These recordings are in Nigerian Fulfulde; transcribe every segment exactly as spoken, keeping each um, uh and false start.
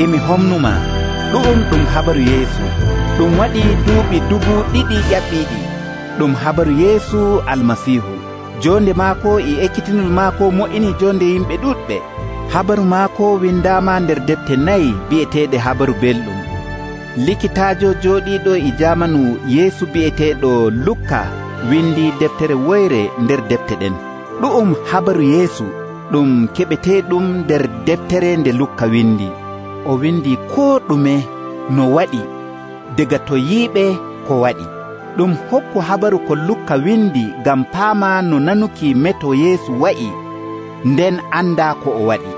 e mi homnumaa. Ɗu'um ɗum habaru Yeesu ɗum waɗii duuɓi dubu ɗiɗi ƴaɓɓiiɗi. Ɗum habaru Yeesu Almasiihu. Joonde maako e ekkitinol maako mo'inii jonde yimɓe ɗuɗɓe. Habaru maako windaama nder defte nayi bi'eteeɗe habaru belɗum. Likitaajo jooɗiiɗo e jaamanu Yeesu bi'eteeɗo Lukka windi deftere woyre nder defte ɗen. Ɗu'um habaru Yeesu ɗum keɓeteeɗum nder deftere nde Lukka windi. O windi koo ɗume no waɗi daga to yiiɓe ko waɗi. Ɗum hokku habaru ko Lukka windi ngam paama no nanuki meto Yeesu wa'i nden andaa ko o waɗi.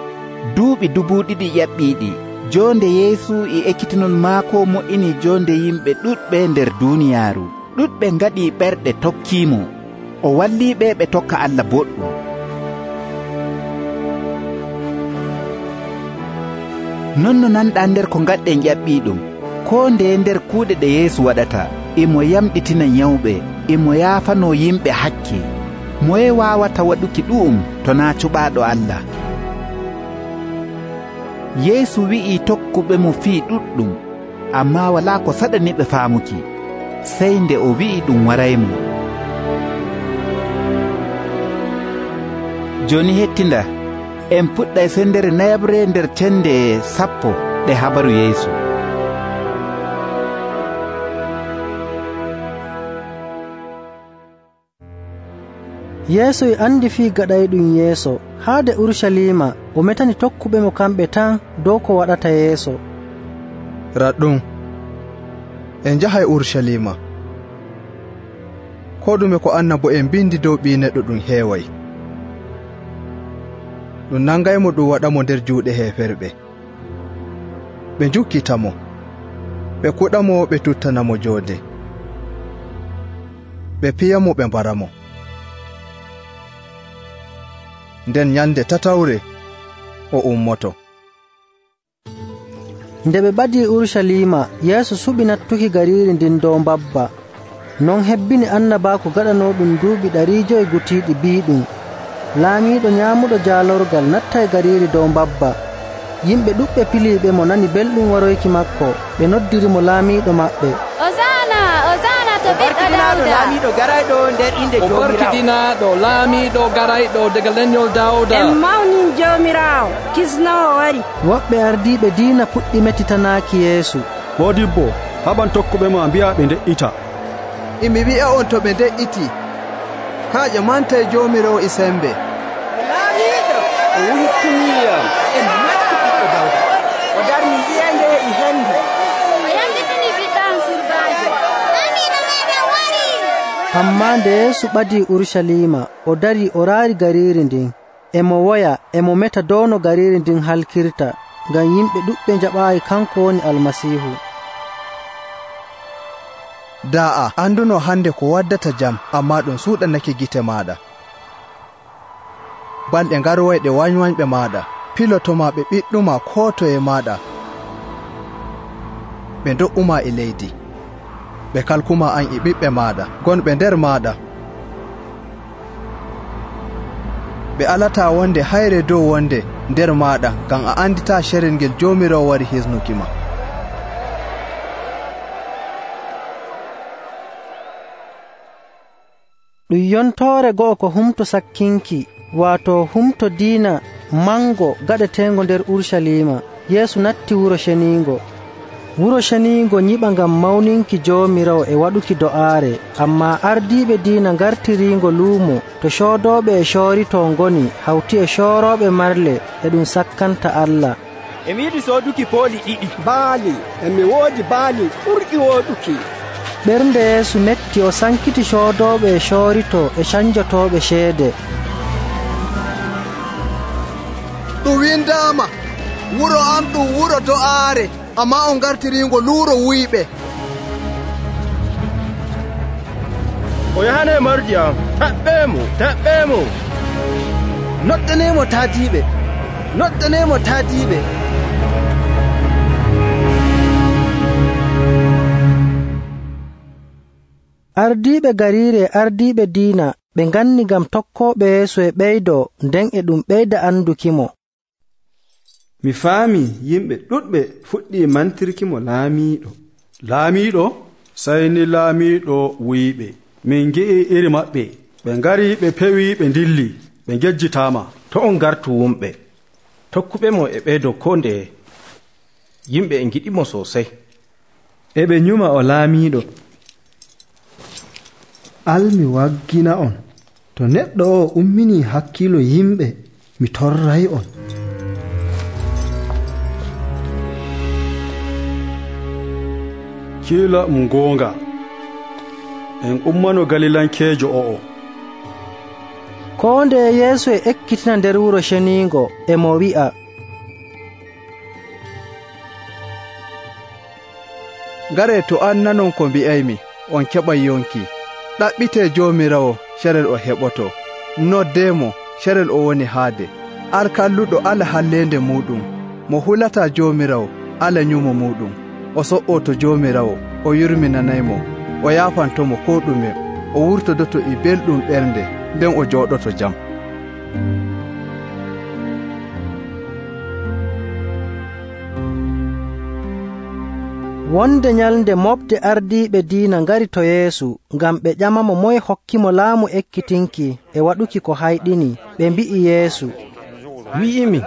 Duuɓi dubu ɗiɗi ƴaɓɓiiɗi jonde Yeesu e ekkitinol maako mo'ini jonde yimɓe ɗuɗɓe nder duuniyaaru. Ɗuɗɓe ngaɗi ɓerɗe tokkiimo. O walliiɓe ɓe tokka Allah boɗɗum. Non no nanɗaa nder ko ngaɗɗen ƴaɓɓiiɗum. Koo ndeye nder kuuɗe ɗe Yeesu waɗata, imo yamɗitina nyawɓe, imo yaafanoo yimɓe hakke. Moye waawata waɗuki ɗu'um to naa cuɓaaɗo Allah? Yeesu wi'ii tokkuɓe mo fii ɗuɗɗum, ammaa walaa ko saɗaniɓe faamuki, sey nde o wi'i ɗum waraymo. Jooni hettinda, en puɗɗay sendere nayabre nder cende sappo ɗe habaru Yeesu. Yeesu e andi fii gaɗayɗum yeeso. Haade Urusalima o metani tokkuɓe mo kamɓe tan dow ko waɗata yeeso. Raɗɗum, en njahay Urusalima. Ko ɗume ko annabo en bindi dow ɓii neɗɗo ɗum heeway. Ɗum nangaymo ɗum waɗamo nder juuɗe heeferɓe. Ɓe njukkitamo, ɓe kuɗamo, ɓe tuttanamo joode, ɓe piyamo, ɓe mbaramo. Nden nyande tatawre o ummoto. Nde ɓe ɓadii Urusalima, Yeesu suɓi nattuki gariiri ndin dow mbabba. Non hebbini annabaaku gaɗanooɗum duuɓi ɗari joyi gutiiɗi biiɗum. Laamiiɗo nyaamuɗo jaalorgal nattay gariiri dow mbabba. Yimɓe ɗuɓɓe piliiɓe mo nani belɗum waroyki makko. Ɓe noddirimo laamiiɗo maɓɓe. Osana, Osana to ɓiɗɗo Dawda. Laamiiɗo garayɗo nder inde Joomiraawo. O barkidinaaɗo laamiiɗo garayɗo daga lenyol Dawda. En mawnin Joomiraawo, kisnowo wari. Woɓɓe ardiiɓe diina puɗɗi metitanaaki Yeesu. Moodibbo, haɓan tokkuɓe ma mbi'a ɓe nde'ita. Imi wi'a on to ɓe nde'iti, kaaƴe mantay Joomiraawo e sembe. Laamiiɗo, o wurtiniyam en matti ɓiɗɗo Dawda. O darni ƴeende e hendu. O yamɗitini ɓiɗɗo am surbaajo. Laamiiɗo meeɗen wari. Ammaa nde Yeesu ɓadii Urusalima, o darii o raari gariiri ndin. Emo woya, emo meta dow no gariiri ndin halkirta, ngam yimɓe ɗuɗɓe njaɓaayi kanko woni Almasiihu. Da'a anduno hande ko waddata jam, ammaa ɗum suuɗanake gite maaɗa. Balɗe ngaroyɗe wañwañɓe maaɗa, pilotoma ɓe ɓiɗɗuma koo toye maaɗa. Ɓe ndo'uma e leydi, ɓe kalkuma an e ɓiɓɓe maaɗa gonɓe nder maaɗa. Ɓe alata wonde hayre dow wonde nder maaɗa, ngam a andita sherel ngel Joomiraawo wari hisnuki ma. Ɗum yontoore go'o ko humto sakkinki, waato humto diina mango gaɗeteengo nder Urusalima. Yeesu natti wuro ceniingo. Wuro ceniingo nyiɓa ngam mawninki Joomiraawo e waɗuki do'aare, ammaa ardiiɓe diina ngartiriingo luumo to coodooɓe e cooritoo ngoni hawti e coorooɓe marle e ɗum sakkanta Allah. Emi yiɗi sooduki pooli ɗiɗi. Baali, emi woodi baali ɓurɗi wooɗuki. Ɓernde Yeesu metti o sankiti coodooɓe e cooritoo e canjotooɓe ceede. Ɗum windaama, wuro am ɗum wuro do'aare, ammaa on ngartiriingo luuro wuyɓe. O yahanee mardi am, taɓɓeemo, taɓɓeemo. Noddaneemo taadiiɓe, noddaneemo taadiiɓe. Ardiiɓe gariire e ardiiɓe diina ɓe nganni ngam tokkooɓe Yeesu e ɓeydoo, nden e ɗum ɓeyda andukimo. mi faami yimɓe ɗuɗɓe fuɗɗi mantirkimo laamiiɗo. Laamiiɗo? Sey ni laamiiɗo wi'iɓe, min ngi'i iri maɓɓe, ɓe ngari ɓe pewi ɓe ndilli, ɓe ngejjitaama. To on gartu wumɓe, tokkuɓe mo e ɓeydo ko ndeye. Yimɓe e ngiɗimo sosai. E ɓe nyuma o laamiiɗo. Almi waggina on, to neɗɗo o ummini hakkilo yimɓe, mi torray on. Kiila um goonga, en ummano Galilankeejo o'o. Koo nde Yeesu e ekkitina nder wuro ceniingo e mo wi'a, Ngare to an nanon ko mbi'aymi, on keɓay yonki. Ɗaɓɓitee Joomiraawo, carel o heɓoto. Noddeemo, carel o woni haade. Ar kalluɗo ala halleende muɗum. Mo hulataa Joomiraawo, ala nyumo muɗum. O so'oo to Joomiraawo, o yurminanaymo, o yaafantomo koo ɗume, o wurtodoto e belɗum ɓernde, nden o jooɗoto jam. Wonde nyalnde moɓde ardiiɓe diina ngari to Yeesu ngam ɓe ƴamamo moye hokkimo laamu ekkitinki e waɗuki ko hayɗini. Ɓe mbi'i Yeesu, wi'imi,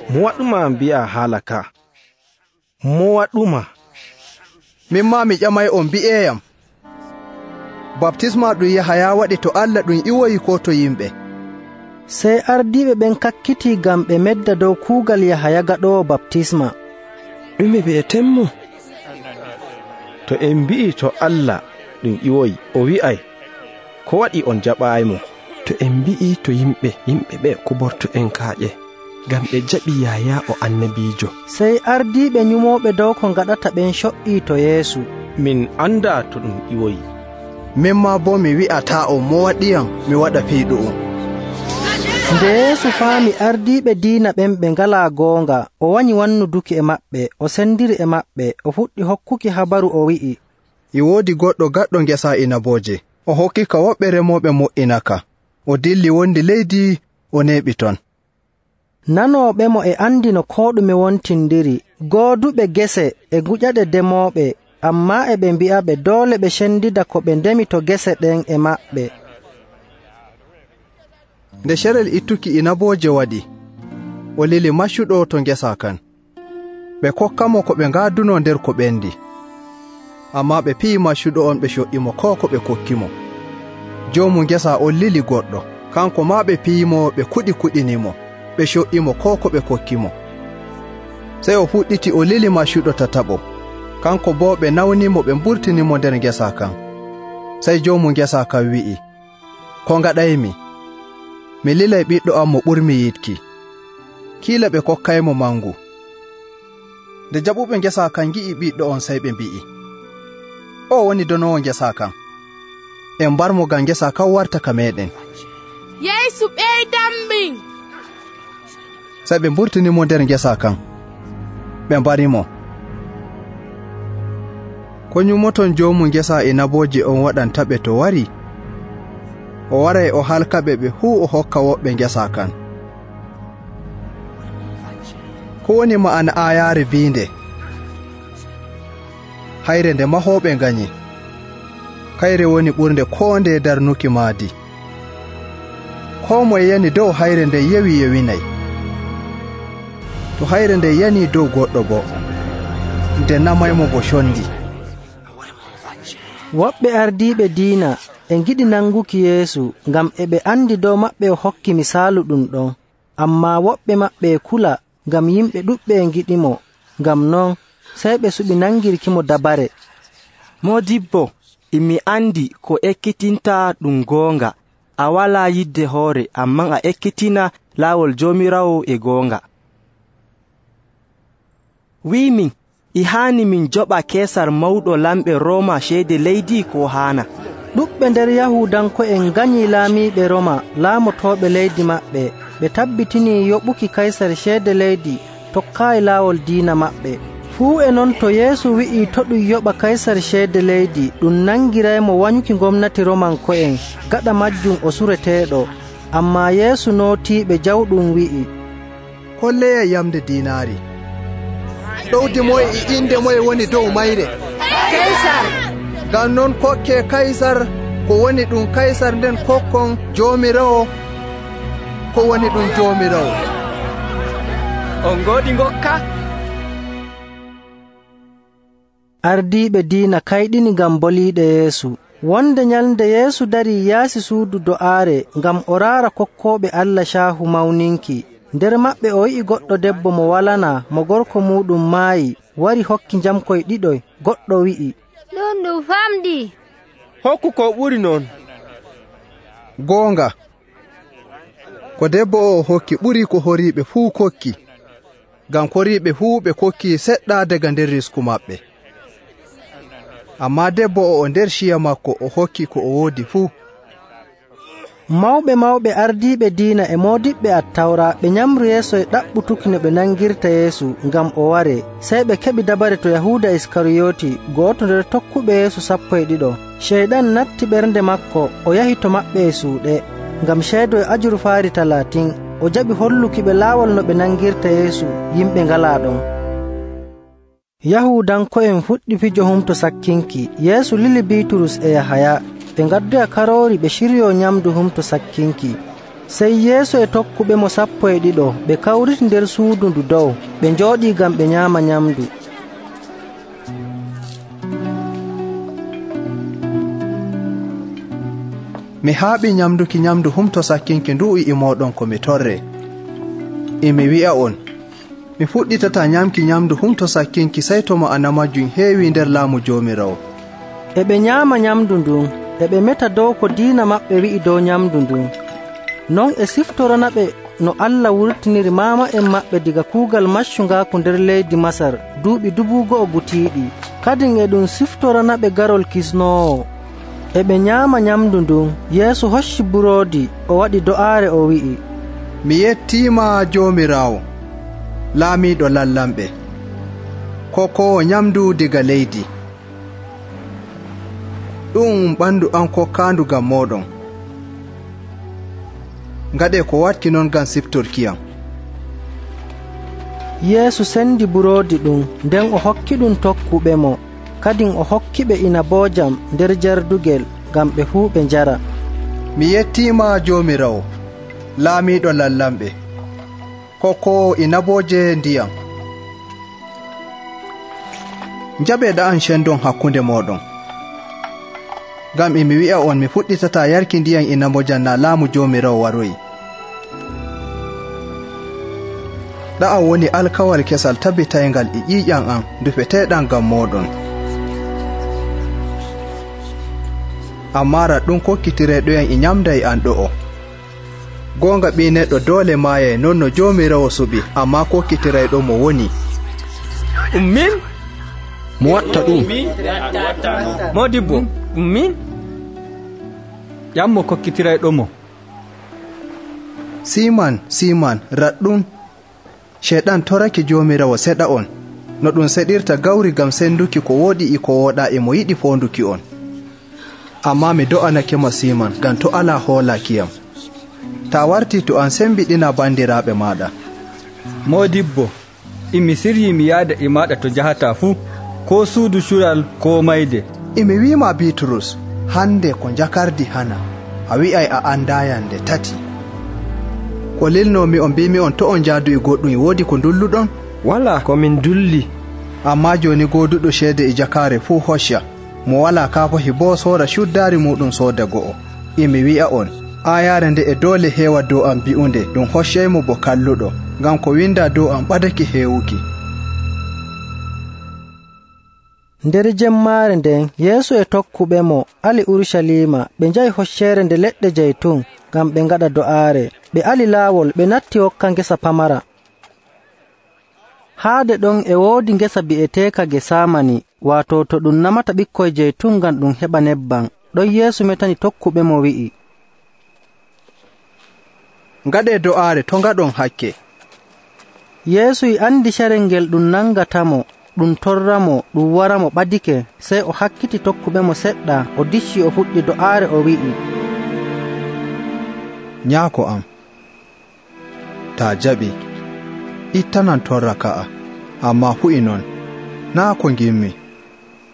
mo waɗuma mbi'a haala ka? Mo waɗuma? Min ma mi ƴamay on mbi'eyam. Baptisma ɗum Yahaya waɗi to Allah ɗum iwoyi ko to yimɓe? Sey ardiiɓe ɓen kakkiti ngam ɓe medda dow kuugal Yahaya gaɗoowo baptisma. Ɗume bi'etenmo? To en mbi'i to Allah ɗum iwoyi, o wi'ay, ko waɗi on jaɓaymo? To en mbi'i to yimɓe, yimɓe ɓe kuborto en kaaƴe, ngam ɓe jaɓi Yahaya o annabiijo. Sey ardiiɓe nyumooɓe dow ko ngaɗata ɓen co'ii to Yeesu. Min anda to ɗum iwoyi. Min ma bo mi wi'ataa on mo waɗiyam mi waɗa feyɗu'um. Nde Yeesu faami ardiiɓe diina ɓen ɓe ngalaa goonga, o wanyi wannuduki e maɓɓe, o sendiri e maɓɓe, o fuɗɗi hokkuki habaru o wi'i, E woodi goɗɗo gaɗɗo ngesa inabooje, o hokki ka woɓɓe remooɓe mo'inaka. O dilli wondi leydi, o neeɓi ton. Nanooɓe mo e andi no koo ɗume wontindiri, gooduɓe gese e guƴaɗe demooɓe, ammaa e ɓe mbi'aɓe doole ɓe cendida ko ɓe ndemi to gese ɗen e maɓɓe. Nde carel ittuki inabooje waɗi, o lili maccuɗo to ngesa kan. Ɓe kokkamo ko ɓe ngaaduno nder ko ɓendi. Ammaa ɓe piyi maccuɗo on ɓe co'imo ko ko ɓe kokkimo. Joomu ngesa on lili goɗɗo, kanko maa ɓe piyimo ɓe kuɗi kuɗinimo, ɓe co'imo ko ko ɓe kokkimo. Sey o fuɗɗiti o lili maccuɗo tataɓo, kanko boo ɓe nawnimo ɓe mburtinimo nder ngesa kan. Sey joomu ngesa kan wi'i, ko ngaɗaymi? Mi lilay ɓiɗɗo am mo ɓurmi yiɗki. Kiila ɓe kokkaymo mangu. Nde jaɓuɓe ngesa kan ngi'i ɓiɗɗo on, sey ɓe mbi'i, o woni donowo ngesa kan. En mbarmo ngam ngesa kan warta ka meɗen. Yeesu ɓeydammin. Sey ɓe mburtinimo nder ngesa kan. Ɓe mbarimo. Ko nyumoton joomu ngesa inabooje on waɗantaɓe to wari? O waray o halkaɓe ɓe fuu o hokka woɓɓe ngesa kan. Ko woni ma'ana aayaare biinde? Hayre nde mahooɓe nganyi, kayre woni ɓurnde koo nde darnuki maadi. Koo moye yani dow hayre nde yewi yewinay. To hayre nde yani dow goɗɗo bo, nde namaymo bo condi. Woɓɓe ardiiɓe diina e ngiɗi nanguki Yeesu ngam e ɓe andi dow maɓɓe o hokki misaalu ɗum ɗon, ammaa woɓɓe maɓɓe e kula ngam yimɓe ɗuɗɓe e ngiɗimo. Ngam non sey ɓe suɓi nangirkimo dabare. Modibbo, imi andi ko ekkitinta ɗum goonga. A walaa yidde hoore, ammaa a ekkitina laawol Joomiraawo e goonga. Wi'min, e haani min joɓa Keesar mawɗo lamɓe Rooma ceede leydi ko haana? Ɗuɓɓe nder Yahuudanko'en nganyii laamiiɓe Roma laamotooɓe leydi maɓɓe. Ɓe tabbitinii yoɓuki Kaysar ceede leydi tokkaayi laawol diina maɓɓe. Fuu e non to Yeesu wi'ii to ɗum yoɓa Kaysar ceede leydi, ɗum nangiraymo wanyuki gomnati Romanko'en, gaɗa majjum o sureteeɗo. Ammaa Yeesu nootiiɓe jawɗum wi'i, holleyay yamde diinaari. ɗowdi moye e inde moye woni dow mayre? kaysar. ngam non kokke kaysar ko woni ɗum kaysar, nden kokkon joomirawo ko woni ɗum joomirawo. on ngoodi ngokka? ardiiɓe diina kayɗini ngam boliiɗe Yeesu. Wonde nyalnde Yeesu darii yaasi suudu do'aare ngam o raara kokkooɓe Allah caahu mawninki. Nder maɓɓe o yi'i goɗɗo debbo mo walanaa, mo gorko muuɗum maayi, wari hokki njamkoy ɗiɗoy. Goɗɗo wi'i, ɗum ɗum famɗi. hokku ko ɓuri non. goonga, ko debbo o hokki ɓuri ko horiiɓe fuu kokki, ngam koriiɓe fuu ɓe kokki seɗɗa daga nder risku maɓɓe. Ammaa debbo o nder ciya makko o hokki ko o woodi fuu. mawɓe mawɓe ardiiɓe diina e moodiɓɓe attawra ɓe nyamri yeeso e ɗaɓɓutuki no ɓe nangirta Yeesu ngam o ware. Sey ɓe keɓi dabare to Yahuuda Iskariyooti, gooto nder tokkuɓe Yeesu sappo e ɗiɗo. Ceyɗan natti ɓernde makko, o yahi to maɓɓe e suuɗe ngam ceedo e ajurfaari talaatin. O jaɓi holluki ɓe laawol no ɓe nangirta Yeesu, yimɓe ngalaa ɗon. Yahuudanko'en fuɗɗi fijo humto sakkinki. Yeesu lili Biiturus e Yahaya. ɓe ngaddoya karoori ɓe ciryoo nyamdu humto sakkinki. Sey Yeesu e tokkuɓe mo sappo e ɗiɗo ɓe kawriti nder suudu ndu dow, ɓe njooɗii ngam ɓe nyaama nyamdu. Mi haaɓi nyamduki nyamdu humto sakkinki ndu e mooɗon ko mi torre. E mi wi'a on, mi fuɗɗitata nyamki nyamdu humto sakkinki sey to ma'ana majjum heewi nder laamu Joomiraawo. E ɓe nyaama nyamdu ndun, e ɓe meta dow ko diina maɓɓe wi'i dow nyamdu ndun. Non e siftorana ɓe no Allah wurtiniri maama'en maɓɓe diga kuugal maccungaaku nder leydi Masar duuɓi dubu go'o gutiiɗi. Kadin e ɗum siftorana ɓe garol kisnoowo. E ɓe nyaama nyamdu ndun, Yeesu hocci buroodi, o waɗi do'aare o wi'i, mi yettiima Joomiraawo, laamiiɗo lallamɓe, kokoowo nyamdu diga leydi. ɗum ɓandu an kokkaandu ngam moɗon. ngaɗe ko watki non ngam siftorkiyam. Yeesu sendi buroodi ɗum, nden o hokki ɗum tokkuɓe mo. Kadin o hokki ɓe inaboojam nder jardugel ngam ɓe fuu ɓe njara. mi yettiima Joomiraawo, laamiiɗo lallamɓe, kokoowo inabooje ndiyam. njaɓeeɗa an cendon hakkunde moɗon, ngam e mi wi'a on mi fuɗɗitata yarki ndiyam inaboojam na laamu Joomiraawo waroyi. ɗa'am woni alkawal kesal tabbitayngal e ƴiiƴam an dufeteeɗam ngam moɗon. ammaa raɗɗum kokkitireeɗoyam e nyamda e an ɗo'o. goonga ɓii neɗɗo doole maayay non no Joomiraawo suɓi, ammaa kokkitirayɗo mo woni. ɗum min? mo watta ɗum? Moodibbo, ɗum min? ƴammo kokkitirayɗo mo. Siman, Siman, raɗɗum Sheyɗan torake Joomiraawo seɗa on, no ɗum seɗirta gawri ngam senduki ko wooɗi e ko wooɗaa e mo yiɗi foonduki on. Ammaa mi do'anake mo Siman, ngam to alaa hoolakiyam. Ta warti to an sembiɗina bandiraaɓe maaɗa. Moodibbo, imi siryi mi yaada e maaɗa to jahataa fuu, ko suudu cural ko mayde. Imi wiima Biiturus, hande ko jakardi hana, a wi'ay a andayam nde tati. ko lilnomi on mbimi on to on jaadu e goɗɗum e woodi ko dulluɗon? wala ko min dulli. Amma joni goduɗo ceede e jakare fuu hocca, mo wala kafahi bo soora cuddari muɗum sooda go'o. imi wi'a on, ayare nde e doole heewa dow am bi'unde ɗum hoccaymo bo kalluɗo, ngam ko winda dow am ɓadake heewuki. nder jemmaare nden Yeesu e tokkuɓe mo ali Urushalima, ɓe njahi hoccere nde leɗɗe jeytun ngam ɓe ngaɗa do'aare. ɓe ali laawol, ɓe natti hokka ngesa pamara. haade ɗon e woodi ngesa bi'eteeka Gesamani, waato to ɗum namata ɓikkoy jeytun ngam ɗum heɓa nebban. ɗon Yeesu metani tokkuɓe mo wi'i, ngaɗe do'aare to ngaɗon hakke. Yeesu e andi carel ngel ɗum nangatamo, ɗum torramo, ɗum waramo ɓadike. Sey o hakkiti tokkuɓe mo seɗɗa, o dicci o fuɗɗi do'aare o wi'i, nyaako am, ta jaɓi, ittanan torra ka'a, ammaa hu'i non, naa ko ngimmi,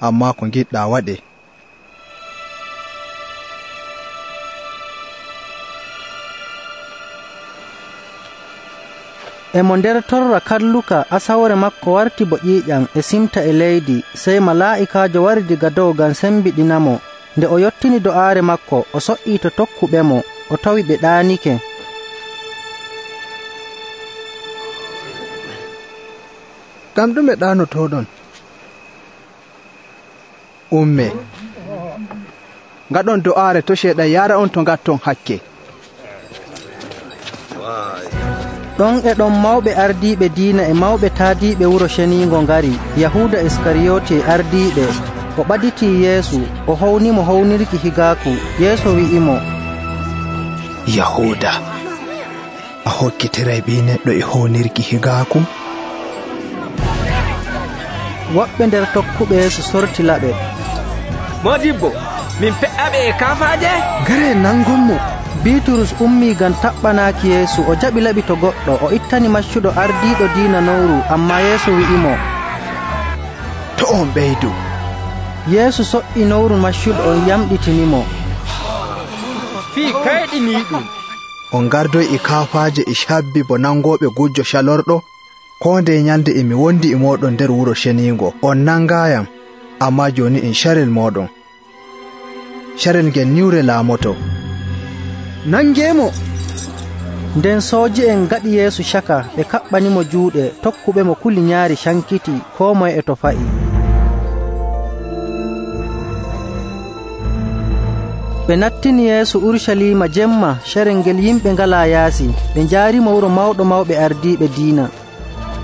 ammaa ko ngiɗɗaa waɗe. E mo nder torra kalluka asawre makko warti bo ƴiiƴam e simta e leydi, sey malaa'ikaajo wari diga dow ngam sembiɗinamo. Nde o yottini do'aare makko, o so''ii to tokkuɓemo, o tawi ɓe ɗaanike. Ngam ɗume ɗaanotoɗon? Umme, ngaɗon do'aare to Ceyɗan yaara on to ngatton hakke. Ɗon e ɗon mawɓe ardiiɓe diina e mawɓe taadiiɓe wuro ceniingo ngari. Yahuuda Iskariyooti e ardiiɓe. O ɓaditii Yeesu, o hownimo hownirki higaaku. Yeesu wi'imo, Yahuuda, a hokkitiray ɓii neɗɗo e hownirki higaaku? Woɓɓe nder tokkuɓe Yeesu sorti laɓe. Modibbo, min fe'aɓe e kafaaje? Gare nangonmo. Biiturus ummii ngam taɓɓanaaki Yeesu. O jaɓi laɓi to goɗɗo. O ittani maccuɗo ardiiɗo diina nowru, ammaa Yeesu wi'imo, to on ɓeydu. Yeesu so''i nowru maccuɗo on yamɗitinimo. Fii kayɗiniiɗum. On gardoy e kaafaaje e cabbi bo nangooɓe gujjo calorɗo? Koo ndey nyalde e mi wondi e mooɗon nder wuro ceniingo. On nangaayam, ammaa jooni en carel mooɗon. Carel ngel niwre laamoto. Nangeemo! Nden sooji'en ngaɗi Yeesu caka, ɓe kaɓɓanimo juuɗe. Tokkuɓemo kuli nyaari cankiti, koo moye e to fa'i. Ɓe nattini Yeesu Urucaliima jemma, carel ngel yimɓe ngalaa yaasi. Ɓe njaarimo wuro mawɗo mawɓe ardiiɓe diina.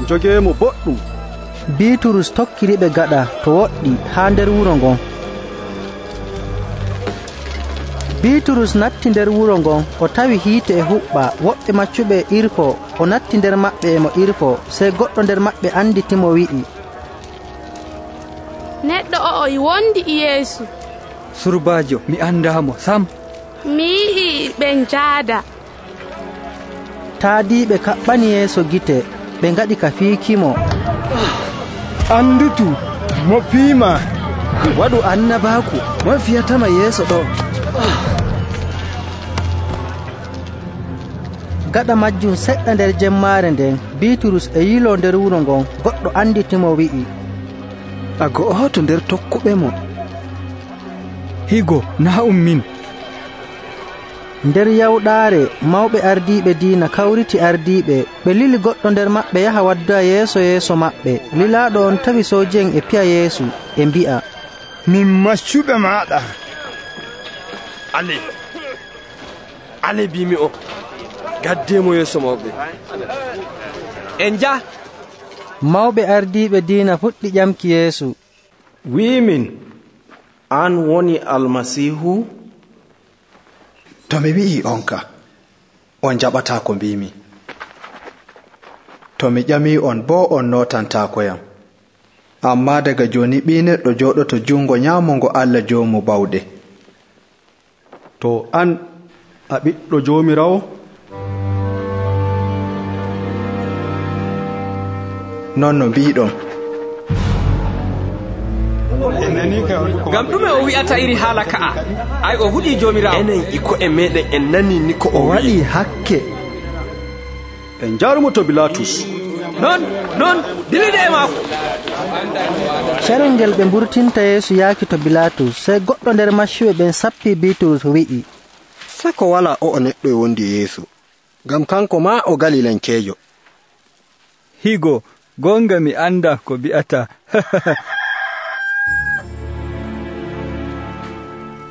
Jogeemo boɗɗum. Biiturus tokkiriɓe gaɗa to woɗɗi haa nder wuro ngon. Biiturus natti nder wuro ngon, o tawi hiite e huɓɓa. Woɓɓe maccuɓe irko, o natti nder maɓɓe e mo irko. Sey goɗɗo nder maɓɓe anditimo wi'i, neɗɗo o'o e wondi e Yeesu. Surbaajo, mi andaamo sam. Mi yi'i ɓe njaada. Taadiiɓe kaɓɓani Yeesu gite, ɓe ngaɗi ka fiikimo. Andutu, mo fiima. Waɗu annabaaku, mo fiyatama yeeso ɗo. Gaɗa majjum seɗɗa nder jemmaare nden, Biiturus e yilo nder wuro ngon, goɗɗo anditimo wi'i, a go'oto nder tokkuɓe mo. Higo, naa um min. Nder yawɗaare mawɓe ardiiɓe diina kawriti ardiiɓe. Ɓe lili goɗɗo nder maɓɓe yaha wadda yeeso yeeso maɓɓe. Lilaaɗo on tawi sooji'en e piya Yeesu e mbi'a, min maccuɓe maaɗa. Ale, ale bimi o, gaddemo yeeso mawɓe. En ja. Mawɓe ardiiɓe diina fuɗɗi ƴamki Yeesu. Wi'imin, an woni Almasiihu? To mi wi'i on ka, on jaɓataa ko mbimi. To mi ƴamii on boo on nootantaakoyam. Ammaa daga jooni ɓii neɗɗo jooɗoto junngo nyaamo ngo Allah joomu bawɗe. To an a ɓiɗɗo Joomiraawo? Non no mbiiɗon. Ngam ɗume o wi'ata iri haala ka'a? Ay o huɗii Joomiraawo. Enen iko e meɗen en nani ni ko o waɗi hakke. En njaarumo to Bilaatus. Non, non, dilide e maako. Carel ngel ɓe mburtinta Yeesu yaaki to Bilaatus. Sey goɗɗo nder maccuɓe ɓen sappi Biiturus wi'i, sako wala o'o neɗɗo e wondi Yeesu, ngam kanko ma o Galilankeejo. Higo, gonga mi anda ko bi'ata.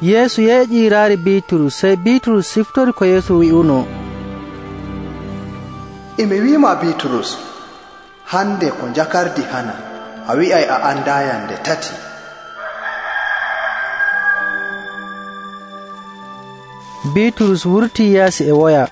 Yeesu yeeƴii raari Biiturus. Sey Biiturus siftori ko Yeesu wi'uno. Imi wiima Biiturus, hande ko jakardi hana, a wi'ay a andayam nde tati. Biiturus wurtii yaasi e woya.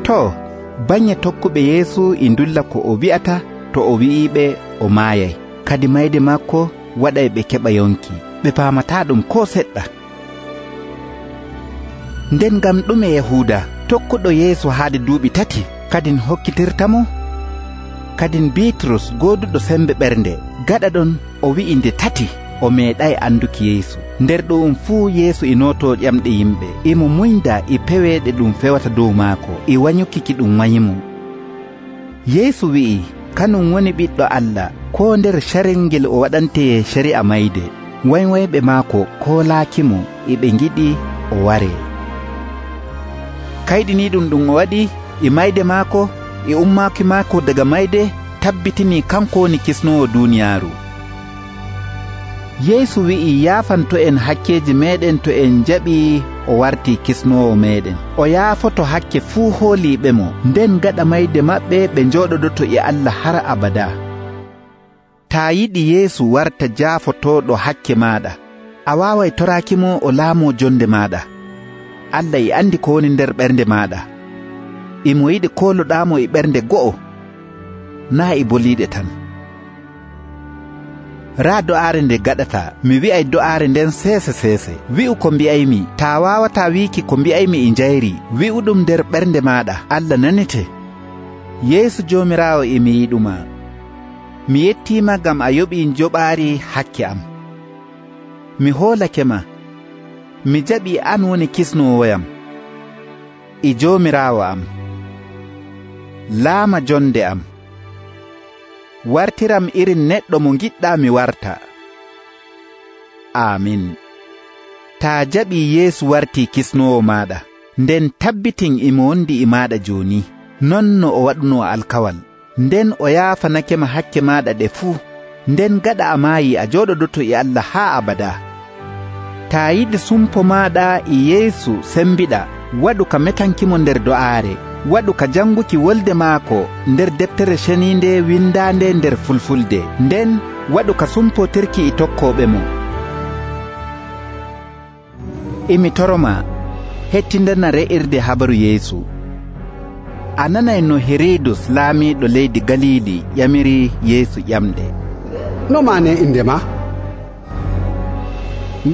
to banye tokkuɓe Yeesu e ndulla ko o wi'ata to o wi'iɓe o maayay, kadi mayde makko waɗay ɓe keɓa yonki, ɓe paamata ɗum ko seɗɗa. Nden ngam ɗume Yahuuda tokkuɗo Yeesu haade duuɓi tati kadin hokkitirtamo? Kadin Bitrus gooduɗo sembe ɓernde gaɗa ɗon o wi'i nde tati o meeɗay anduki Yeesu. Nder ɗum fuu Yeesu e nooto ƴamɗe yimɓe, imo muynda e peweeɗe ɗum fewata dow maako e wanyuki ki ɗum wanyimo. Yeesu wi'i kanum woni ɓiɗɗo Allah, ko nder carel ngel o waɗante cari'a mayde. Waywayɓe maako koolaakimo e ɓe ngiɗi o waree. Kayɗiniiɗum ɗum o waɗi e mayde maako e ummaaki maako daga mayde tabbitinii kanko woni kisnoowo duuniyaaru. Yeesu wi'i yaafanto en hakkeeji meeɗen to en jaɓii o wartii kisnoowo meeɗen. O yaafoto hakke fuu hooliiɓemo, nden gaɗa mayde maɓɓe ɓe njooɗodoto e Allah har abada. Taa yiɗi Yeesu warta jaafotooɗo hakke maaɗa, a waaway toraakimo o laamoo jonde maaɗa. Allah e andi ko woni nder ɓernde maaɗa. Imo yiɗi kooloɗaamo e ɓernde go'o, naa e boliiɗe tan. Raa do'aare nde gaɗata, mi wi'ay do'aare nden seese seese. Wi'u ko mbi'aymi. Taa waawataa wiiki ko mbi'aymi e njayri, wi'uɗum nder ɓernde maaɗa. Allah nanete. Yeesu Joomiraawo e mi yiɗuma. Mi yettiima ngam a yoɓii njoɓaari hakke am. Mi hoolake ma. Mi jaɓii an woni kisnoowoyam e Joomiraawo am. Laama jonde am. Wartiram irin neɗɗo mo ngiɗɗaa mi warta. Amin. Taa jaɓii Yeesu wartii kisnoowo maaɗa, nden tabbitin imo wondi e maaɗa jooni, non no o waɗunoo alkawal. Nden o yaafanakema hakke maaɗa ɗe fuu, nden gaɗa a maayii a jooɗodoto e Allah haa abada. Taa yiɗi sumpo maaɗa e Yeesu sembiɗa, waɗu ka metankimo nder do'aare. Waɗu ka janguki wolde maako nder deftere ceniinde windaande nder fulfulde, nden waɗu ka sumpotirki e tokkooɓe mo. Imi toroma hettindana re'irde habaru Yeesu. A nanay no Herodus laamiiɗo leydi Galiili ƴamiri Yeesu ƴamɗe. No maane inde ma?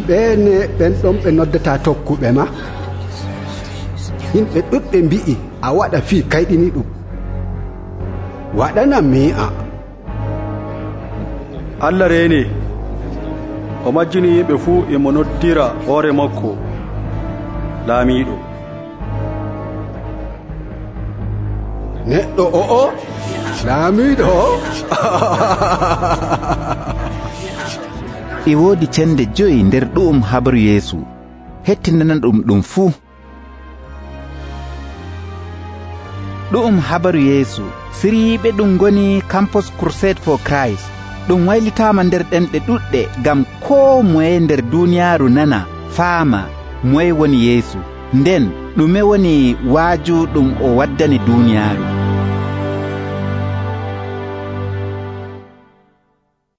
Ɓeene ɓen ɗon ɓe noddata tokkuɓe ma? Yimɓe ɗuɗɓe mbi'i a waɗa fii kayɗiniiɗum. Waɗanam mi'a. Allah reeni o majjini yimɓe fuu e mo noddira hoore makko laamiiɗo. Neɗɗo o'o laamiiɗo. E woodi cende joyi nder ɗu'um habaru Yeesu. Hettinana ɗum ɗum fuu. Ɗu'um habaru Yeesu. Siriyiɓe ɗum ngoni Campus Crusade for Christ. Ɗum waylitaama nder ɗenɗe ɗuɗɗe ngam koo moye nder duuniyaaru nana faama moye woni Yeesu, nden ɗume woni waaju ɗum o waddani duuniyaaru.